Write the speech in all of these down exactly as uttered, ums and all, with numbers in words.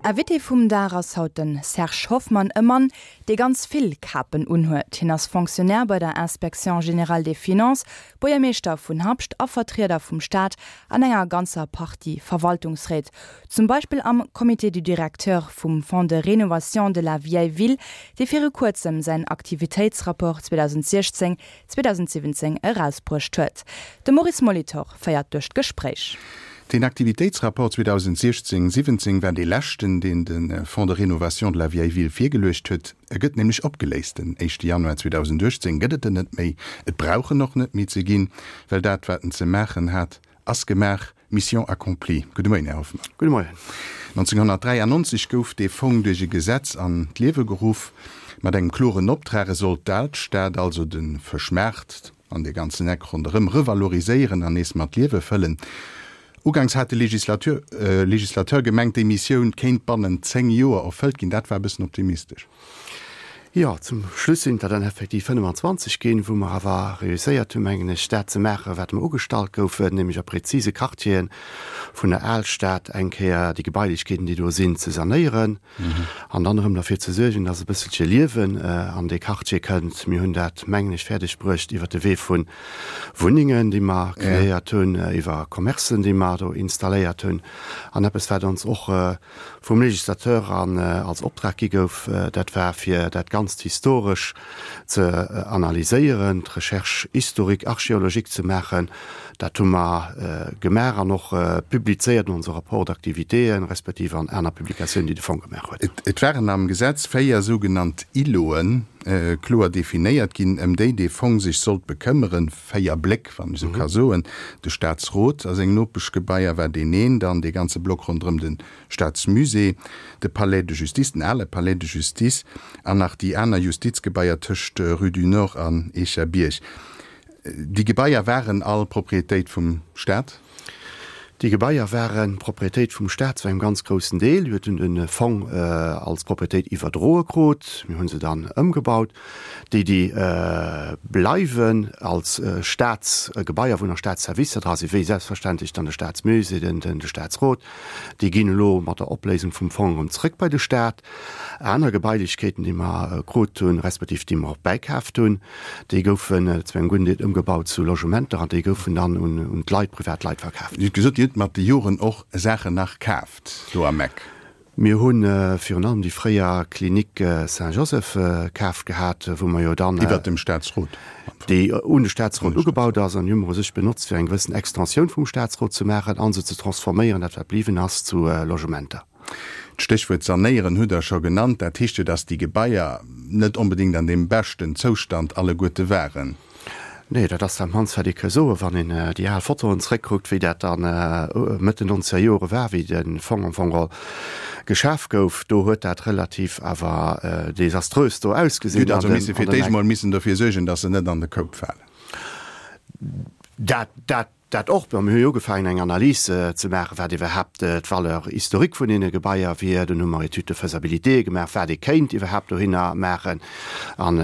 Invité vum Dag ass haut de Serge Hoffmann, e Mann, dee ganz vill Kapen unhuet. Hien ass Fonctionnaire bei der Inspection générale des Finances, Buergermeeschter vun Habscht a Vertrieder vum Staat an enger ganzer Partie Verwaltungsréit. Zum Beispill am Comité du directeur vum Fonds de rénovation de la vieille ville, dee viru kuerzem säin Aktivitéitsrapport zweedausendsiechzéng zweedausendsiwwenzéng erausbruecht huet. De Maurice Molitor féiert duerch d'Gespréich. Den Aktivitéitsrapport zweedausendsiechzéng siwwenzéng war dee leschten, deen de Fonds de rénovation de la vieille ville virgeluecht huet. E gëtt nämlech opgeléist, den éischte Januar zweedausenduechtzéng gëtt et en net méi. Et brauch en och net méi ze ginn, well dat, wat en ze maachen hat, ass gemaach. Mission accomplie. Gudde Moien, Här Hoffmann. Gudde Moien. nonzénghonnertdräiannonzeg gouf dee Fong duerch e Gesetz an d'Liewe geruff, mat engem kloren Optrag, E sollt d'Alstad, also de Fëschmaart an dee ganzen Eck ronderëm, revaloriséieren an nees mat Liewe fëllen. Uganks hat de Legislateur gemengt, déi Missioun kéint bannent zéng Joer erfëllt ginn. Dat war e bëssen optimistesch. Jo, zum Schluss sinn et der dann effektiv fënnefanzwanzeg ginn, wou mer awer reusséiert hunn, mengen ech, dat ze maachen, wat mer ugestallt goufen, nämlech a prezise Quartieren vun der Alstad eng Kéier déi Gebailechkeeten, déi do sinn, ze sanéieren an dann erëm derfir ze suergen, dass e bësselche Liewen an dee Quartier kënnt. Mir hunn dat, mengen ech, fäerdeg bruecht iwwert de Wee vu Wunnengen, déi mer kreéiert hunn, iwwer Commercen, déi mer do installéiert hunn. An eppes, wat ons och vum Législateur an als Optrag gi gouf, dat war, fir dat Ganzt historesch ze analyséieren, d'Recherche historique, archéologique ze maachen. Dat hu mer gemaach an och publizéiert an onse Rapport d'activitéen, respektiv an aner Publikatiounen, déi de Fong gemaach huet. Et waren am Gesetz véier sougenannt Îloten kloer definéiert ginn, ëm déi dee Fong sech sollt bekëmmeren, véier Bléck, wann ech esou ka soen, de Staatsrot a seng Nopeschgebaier war deen een, dann dee ganze Block ronderëm de Staatsmusée, de Palais de Justice, den ale Palais de Justice an nach déi aner Justizgebaier tëscht Rue du Nord an Eecherbierg. Déi Gebaier waren all Proprietéit vum Staat? Déi Gebaier ware Proprietéit vum Staat zu engem ganz groussen Deel. Mir hunn de Fong als Proprietéit iwwerdroe krut. Mir hu se dann ëmgebaut. Déi, déi bleiwen als Staatsgebaier, wou nach Staatsservicer dra sinn, wéi selbstverständlech dann de Staatsmusée, de Staatsrot, déi ginn elo mat der Opléisung vum Fong erëm zrëck bei de Staat. Aner Gebailechkeeten, déi mer krut hunn, respektiv déi mer och bäikaaft hunn, déi goufen zu engem gudden Deel ëmgebaut zu Logementer an déi goufen dann un d'Leit, privat Leit verkaaft. Dir hutt gesot, Dir hutt mat de Joren och Saachen nach kaaft do am Eck. Mir hu virun allem déi fréier Clinique Saint-Joseph kaaft gehat, wou mer jo dann. Iwwert dem Staatsrot am Fong. Déi un de Staatsrot ugebaut ass an déi hu mer u sech benotzt, fir eng gewëssen Extensioun vum Staatsrot ze maachen a se ze transforméieren, dat wat bliwwen ass, zu Logementer. D'Stéchwuert sanéieren hutt Der scho genannt. Dat heescht jo, datt déi Gebaier net onbedéngt an deem beschten Zoustand alleguerte waren. Nee, dat ass dat mannst, wat ee ka soen, wann een déi al Fotoen zréckkuckt, wéi dat dann Mëtt den nonzeger Jore war, wéi de Fong am Fong geholl geschaf gouf. Do huet dat relativ awer desaströs do ausgesinn. Dir hutt also misse fir d'éischt emol missen dofir suergen, datt se net an de Koup falen. Dat, dat Dat och. Mir hu jo ugefaangen, eng Analys ze maachen, wat iwwerhaapt d'Valeur historique vun deene Gebaier wier. Dunn hu mer Études de faisabilité gemaach, wat ee kéint iwwerhaapt dohinner maachen. An,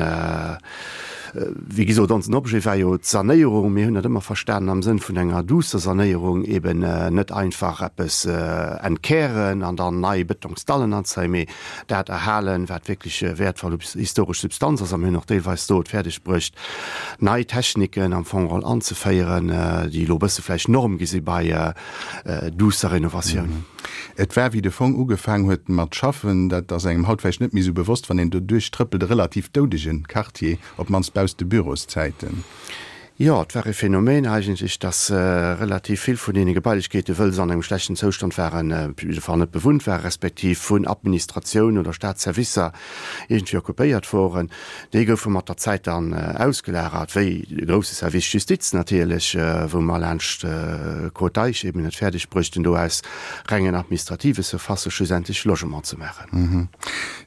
wéi gesot, onsen Objet war jo d'Sanéierung. Mir hunn dat ëmmer verstanen am Sënn vun enger duusser Sanéierung, eben net einfach eppes entkären an dann nei Bëtongsdallen anzéien, mee dat erhalen, wat wierklech wäertvoll historesch Substanz ass. A mir hunn och deelweis do et fäerdeg bruecht, nei Techniken am Fong geholl anzeféieren, déi elo e bësse vläicht Norm gi si bei duusser Renovatioun. Et war, wéi de Fong ugefaang huet mat schaffen, dat ass engem haut vläicht net méi esou bewosst, wann een do duerchtrëppelt, e relativ doudege Quartier, op d'mannst bausst de Büroszäiten. Jo, et war e Phänomen eigentlech, dass relativ vill vun deene Gebailechkeeten, wëll se an engem schlechten Zoustand waren, op jidde Fall net bewunnt waren, respektiv vun Administratioun oder Staatsservicer iergendwéi occupéiert woren. Déi goufe mat der Zäit dann ausgelagert, wéi de grousse Service Justiz natierlech, wou mer laanscht d'Côte d'Eich eben et fäerdeg bruechten, do aus rengen administrative Surfacë schlussendlech Logement ze maachen.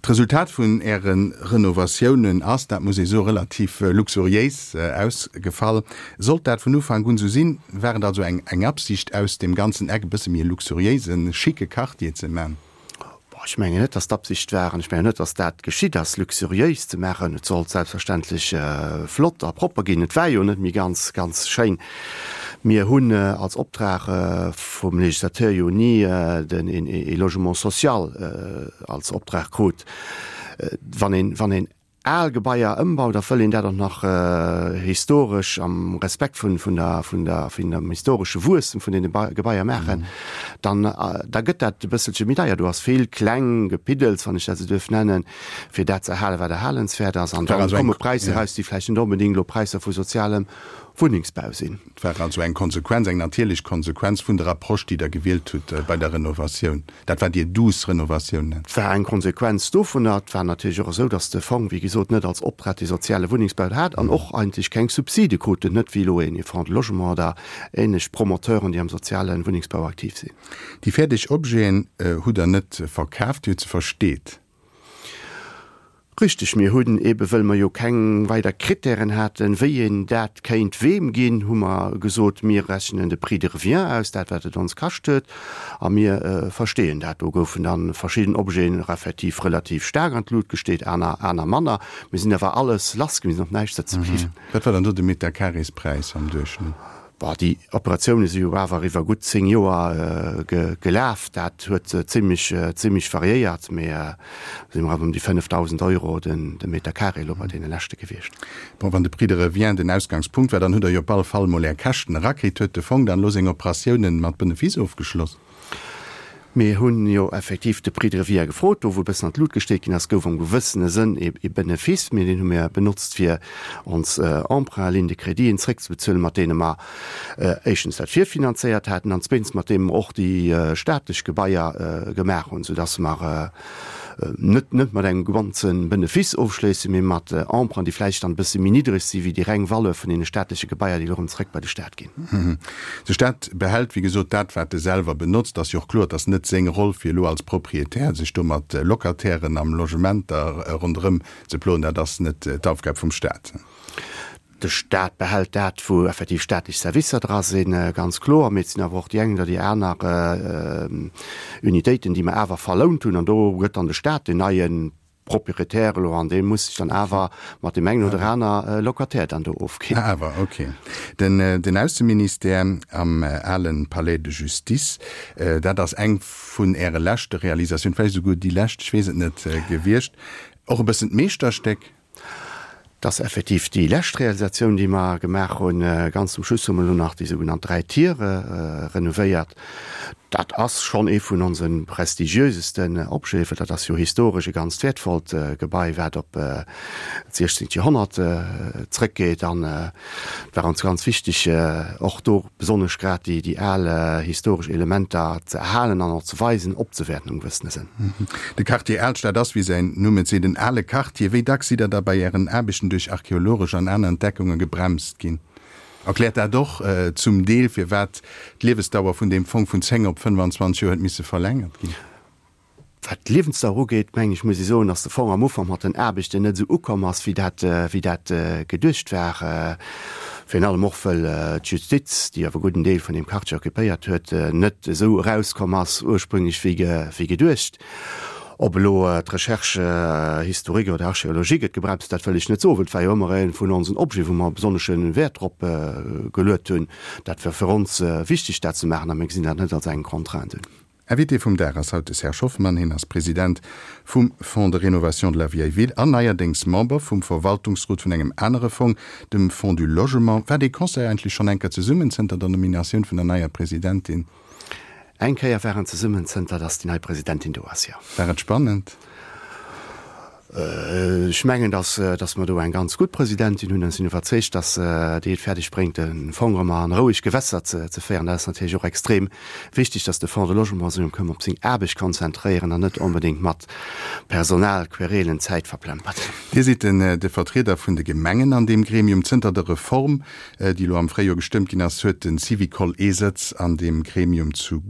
D'Resultat vun Äre Renovatiounen ass, dat muss ee soen, relativ luxuriéis ausgefall. Sollt dat vun Ufank un esou sinn? War et also eng eng Absicht, aus deem ganzen Eck e bësse méi e luxuriéisen, schicke Quartier ze man? Bon, ech mengen net, dass d'Absicht war, an ech mengen net, dass dat geschitt ass, luxuriéis ze maachen. Et sollt selbstverständlech flott a propper ginn. Et war jo net méi ganz, ganz schéin. Mir hunn als Optrag vum Législateur jo ni den ee Logement social als Optrag krut. Wann een, wann een al Gebaier ëmbaut, da wëll een dat och nach historesch am Respekt vun, vun der, vun der, vun dem historesche Wuesstem vun deene Gebaier maachen, dann, da gëtt dat e bësselche méi deier. Do ass vill kleng Gepiddels, wann ech dat esou duerf nennen, fir dat ze erhalen, wat erhalenswäert ass. An da komme Präisser eraus, déi vläicht net onbedéngt elo Präisser vu sozialem Wunnengsbau sinn. Et war also eng Konsequenz, eng natierlech Konsequenz vun der Approche, déi Der gewielt hutt bei der Renovatioun, dat wat Dir douce Renovatioun nennt. Et war eng Konsequenz dovunner. Et war natierlech och esou, datt de Fong, wéi gesot, net als Optrag dee soziale Wunnengsbau hat an och eigentlech keng Subside krut, net wéi elo een Fonds de Logement oder ähnlech Promoteuren, déi am soziale Wunnengsbau aktiv sinn. Déi fäerdeg Objeten hutt Der net verkaaft, Dir hutt se versteet. Richteg, mir hunn eebe wëll mer jo keng weider Krittären haten, wéi een dat kéint weem ginn, hu mer gesot, mir rechnen de Prix de revient aus, dat wat et ons kascht huet, a mir versteeën dat. Do goufen da verschidden Objeten effektiv relativ staark an d'Lut gesteet, aner aner manner. Mir sinn awer alles lass ginn, mir sinn op näischt sëtze bliwwen. Wat war dann do de Meterkarespräis am Duerchschnëtt? Bon, déi Operatioune si jo awer iwwer gutt zéng Joer gelaf. Dat huet zimlech, zimlech variéiert, mee si mer awer ëm déi fënnefdausend Euro den de Meter carré elo bei deene leschte gewiescht. Bon, wann de Prix de revient den Ausgangspunkt war, dann hutt Der jo op alle Fall emol Är Käschten erakritt. Huet de Fong dann elo seng Operatiounen mat Benefice ofgeschloss? Mir hunn jo effektiv de Prix de revient gefrot. Do, wou e bëssen an d'Lut gesteet ginn ass, gouf am gewëssene Sënn e Benefice, mee deen hu mir benotzt, fir ons Emprunts, Lignes de créditen zréckzebezuelen, mat deene mer éischtens dat virfinanzéiert haten an zweetens mat deene mer och déi staatlech Gebaier gemaach hunn, soudass mer net net mat engem ganze Benefice ofschléissen, mee mat Emprunts, déi vläicht dann e bësse méi niddreg si wéi déi reng Valeur vun deene staatleche Gebaier, déi elo erëm zréck bei de Staat ginn. De Staat behält, wéi gesot, dat, wat e selwer benotzt. Et ass jo och kloer, et ass net seng Roll, fir elo als Proprietär sech do mat Locatairen am Logementer ronderëm ze ploen. Dat ass net d'Aufgab vum Staat. De Staat behält dat, wou effektiv staatlech Servicer dra sinn, ganz kloer. Mee et sinn awer och déi eng oder déi aner Unitéiten, déi mer awer verlount hunn. An do gëtt dann de Staat den neie Proprietär elo an dee muss sech dann awer mat deem engen oder aner Locataire dann do ofginn. Ah awer, okay. Den, den Ausseministère am alen Palais de Justice, dat ass eng vun Äre leschte Realisatiounen, vläicht esouguer déi lescht, ech weess et net, gewiescht. Och e bëssen d'Meeschterstéck? Dat ass effektiv déi lescht Realisatioun, déi mer gemaach hunn. Ganz zum Schluss hu mer elo nach déi sougenannt Dräi Tiere renovéiert. Dat ass schonn ee vun onse prestigiösesten Objeten, well dat ass jo historesch e ganzt wäertvollt Gebai, wat op d'siechzehngt Joerhonnert zrëckgeet. An et war ons ganz wichteg, och do besonnesch grad déi al historesch Elementer ze erhalen an och ze weisen, opzewäerten am gewëssene Sënn. De Quartier Alstad ass, wéi säin Numm et seet, en ale Quartier. Wéi dacks sidd Der da bei Ären Aarbechten duerch archeologesch an aner Entdeckunge gebremst ginn? Erkläert dat och zum Deel, firwat d'Liewesdauer vun deem Fong vun zéng op fënnefanzwanzeg Joer huet misse verlängert ginn? Wat d'Liewensdauer ugeet, mengen ech, muss ee soen, dass de Fong am Ufank mat den Aarbechten net esou ukomm ass, wéi dat, wéi dat geduecht war. Virun allem och, wëll d'Justiz, déi awer e gudden Deel vun deem Quartier occupéiert huet, net esou erauskomm ass ursprünglech wéi, wéi geduecht. Ob elo d'Recherche historique oder archéologique et gebremst, dat wëll ech net soen, well et war jo ëmmer ee vun onsen Objeten, wou mer besonnesche Wäert drop geluet hunn. Dat war fir ons wichteg, dat ze maachen, a mir gesinn dat net als eng Contrainte un. Invité vum Dag ass haut de Serge Hoffmann. Hien ass President vum Fonds de rénovation de la vieille ville an neierdéngs Member vum Verwaltungsrot vun engem anere Fong, dem Fonds du Logement. War dee Conseil eigentlech schonn eng Kéier zesummen zënter der Nominatioun vun der neier Presidentin? Eng Kéier war en zesummen zënter datt déi nei Presidentin do ass, jo. War et spannend? Ech mengen, datt, datt mer do eng ganz gutt Presidentin hunn an ech sinn iwwerzeegt, datt déi et fäerdeg bréngt, de Fong erëm a roueg Gewässer ze, ze féieren. Dat ass natierlech och extrem wichteg, datt de Fonds de Logement sech erëm kënn op seng Aarbecht konzentréieren an net onbedéngt mat Personalquerelen Zäit verplempert. Dir sidd den, de Vertrieder vun de Gemengen an deem Gremium. Zënter der Reform, déi elo am Fréijoer gestëmmt ginn ass, huet de Syvicol ee Sëtz an deem Gremium zu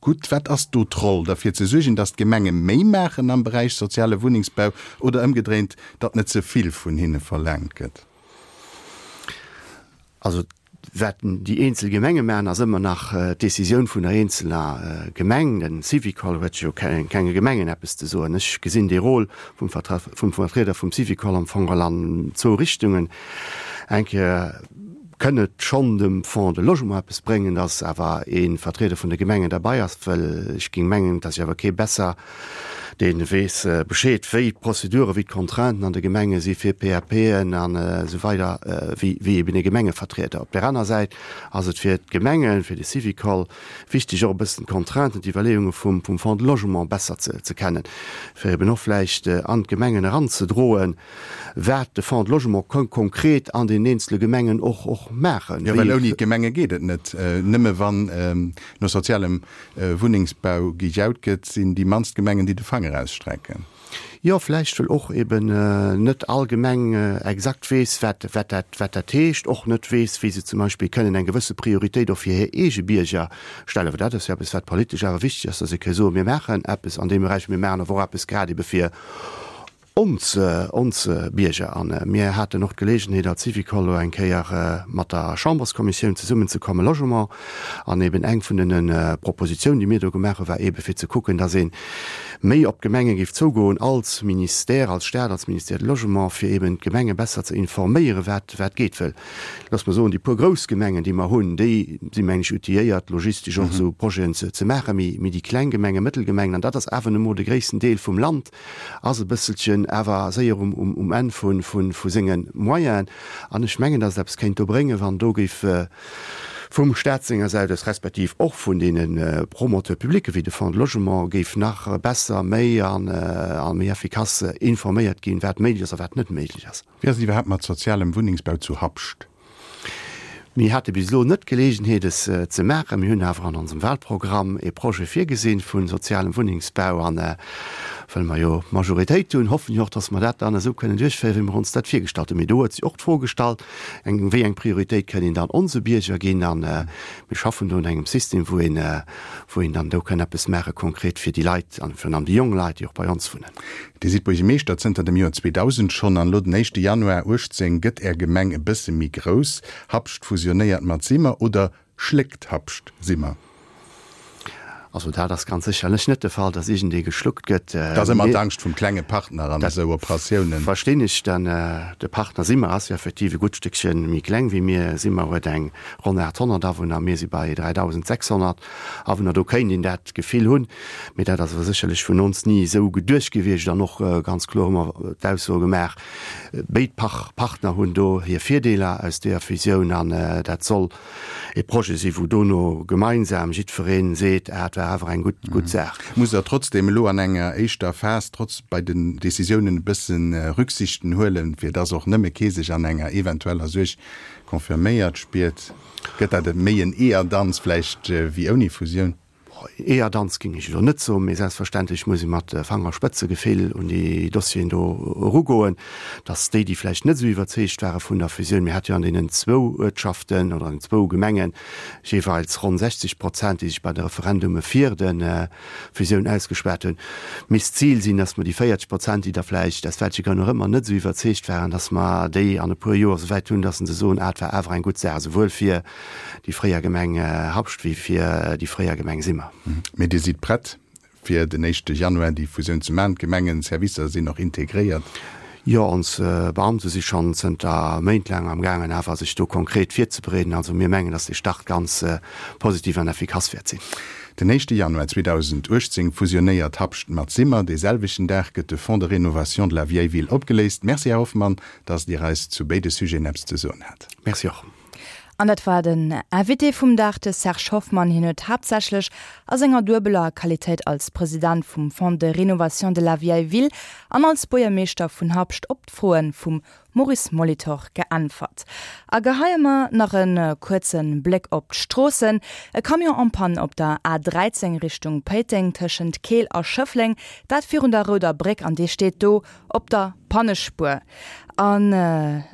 Gutt, wat ass do d'Roll? Derfir ze suergen, datt d'Gemenge méi maachen am Beräich soziale Wunnengsbau oder ëmgedréint, datt net ze vill vun hinne verlaangt gëtt? Also wat déi eenzel Gemenge maachen, ass ëmmer nach d'Decisioun vun der eenzeler Gemeng. Den Syvicol huet jo kenge Gemengen eppes ze soen. Ech gesinn dee Rôle vum Vertrieder vum Syvicol am Fong an zwou Richtungen. Eng Kéier Kënn et schonn dem Fonds de Logement eppes bréngen, dass awer ee Vertrieder vun de Gemengen derbei ass, well ech géing mengen, dass awer kee besser dee weess Bescheed, wéi d'Prozedure, wéi d'Contrainten an de Gemenge si fir PAPen an esou weider wéi wéi eben e Gemengevertrieder. Op där aner Säit ass et fir d'Gemengen, fir de Syvicol wichteg och e bëssen d'Contrainten, d'Iwwerleeunge vum vum Fonds de Logement besser ze ze kennen, fir eben och vläicht an d'Gemengen eranzedroen, wat de Fonds de Logement ka konkret an den eenzele Gemengen och och maachen. Jo, well ouni d'Gemenge geet et net. Nëmme wann no sozialem Wunnengsbau gejaut gëtt, sinn déi mannst Gemengen, déi de Fanger ausstrecken. Jo, vläicht well och eben net all Gemeng exakt weess, wat wat dat wat dat heescht, och net weess, wéi se zum Beispill kënnen eng gewësse Prioritéit och fir hir eege Bierger stellen. Well dat ass jo eppes, wat politesch awer wichteg ass, dass ee ka soen, mir maachen eppes an deem Beräich, mir maachen awer och eppes grad ebe fir ons ons Bierger. A mir haten och d'Geleegenheet als Syvicol elo eng Kéier mat der Chamberskommissioun zesummenzekommen, Logement, an eben eng vun den Propositionen, déi mir do gemaach hunn, war ebe fir ze kucken, dass ee méi op d'Gemenge géif zougoen als Ministère, als Staat, als Ministère de Logement, fir eben d'Gemenge besser ze informéieren, wat wat geet. Well, looss mer soen, déi puer grouss Gemengen, déi mer hunn, déi si mengen ech outilléiert, logistesch och esou Projeten ze ze maachen, mee mee déi kleng Gemengen, Mëttelgemengen, an dat ass awer nu emol de gréissten Deel vum Land, ass e bësselchen awer séier um, um, um Enn vu, vu, vu senge Moyenen. An ech mengen, dass et eppes kéint do bréngen, wann do géif vum Staat senger Säit aus respektiv och vun deene Promoteurs publics wéi de Fonds de Logement géif nach besser, méi an, a méi effikass informéiert ginn, wat méiglech ass a wat net méiglech ass. Wéi ass et iwwerhaapt mat sozialem Wunnengsbau zu Habscht? Mir hate bis elo net d'Geleegenheet es ze maachen. Mir hunn awer an onsem Wahlprogramm e Projet virgesinn vu sozialem Wunnengsbau an well mer jo d'Majoritéit hunn, hoffen ech och, dass mer dat dann esou kënnen duerchféieren, wéi mer ons dat virgestallt hunn. Mee do huet sech och d'Fro gestallt, eng, wéi eng Prioritéit kënn een dann onse Bierger ginn an mir schaffen do un engem System, wou een, wou een dann do kënn eppes maache konkret fir déi Leit an virun allem déi jonk Leit, déi och bei ons wunnen. Dir sidd Buergermeeschter zënter dem Joer zweedausend schonn an elo den éischte Januar uechtzéng gëtt Är Gemeng e bësse méi grouss. Habscht fusionéiert mat Simmer oder schléckt Habscht Simmer? Also dat ass ganz sécherlech net de Fall, datt iergendee geschluckt gëtt. Dat ass ëmmer d'Angscht vum klenge Partner an esou Operatiounen. Dat verstinn ech. Dann de Partner Simmer ass jo effektiv e gutt Stéckche méi kleng wéi mir. Simmer huet eng ronn aathonnert Awunner, mir si bei dräidausendsechshonnert Awunner. Do kéint een dat Gefill hunn. Mee dat ass awer sécherlech vun ons ni esou geduecht gewiescht an och ganz kloer hu mer d'Ausso gemaach, béid Partner hunn do hir Virdeeler aus deeër Fusioun an dat soll e Projet sinn, wou dono gemeinsam jiddweree seet, ah, et war awer eng gutt, gutt Saach. Musst Der trotzdem elo an enger éischter Phas trotz bei den Décisiounen e bësse Rücksichten huelen, fir dass och nëmme kee sech an enger eventueller Suerg confirméiert spiert? Gëtt dat méi en Eeërdanz vläicht wéi ouni Fusioun? Eeërdanz géing ech elo net soen, mee selbstverständlech muss ee mat Fangerspëtzegefill un déi Dossieren do erugoen, dass déi, déi vläicht net esou iwwerzeegt ware vun der Fusioun, mir hate jo an deenen zwou Uertschaften oder an den zwou Gemenge jeeweils ronn sechzeg Prozent, déi sech bei de Referendume fir de Fusioun ausgeschwat hunn, misst d'Zil sinn, dass mer déi véierzeg Prozent, déi da vläicht, aus welche Grënn och ëmmer, net esou iwwerzeegt waren, dass mer déi an e puer Joer esouwäit hunn, dass se soen, ah, et war awer eng gutt Saach, esouwuel fir déi fréier Gemeng Habscht wéi fir déi fréier Gemeng Simmer. Mee Dir sidd prett, fir den éischte Januar déi Fusioun ze maachen? D'Gemengenservicer sinn och integréiert? Jo, ons Beamte si schonn zënter Méint laang am gaangen awer sech do konkret virzebereeden. Also mir mengen, dass dee Start ganz positiv an effikass wäert sinn. Den éischte Januar zweedausenduechtzéng fusionéiert Habscht mat Simmer. Dee selwechten Dag gëtt de Fonds de rénovation de la vieille ville opgeléist. Merci, Här Hoffmann, dass Dir eis zu béide Sujeten eppes ze soen hat. Merci och. An dat war den Invité vum Dag, de Serge Hoffmann. Hien huet haaptsächlech a senger duebeler Qualitéit als President vum Fonds de rénovation de la vieille ville an als Buergermeeschter vun Habscht op d'Froe vum Maurice Molitor geäntwert. A geheie mer nach e kuerze Bléck op d'Stroossen. E Camion en panne op der A dräizéng Richtung Péiteng tëschent Keel a Schëffleng, dat virun der Rouder Bréck, an dee steet do op der Pannespuer. An.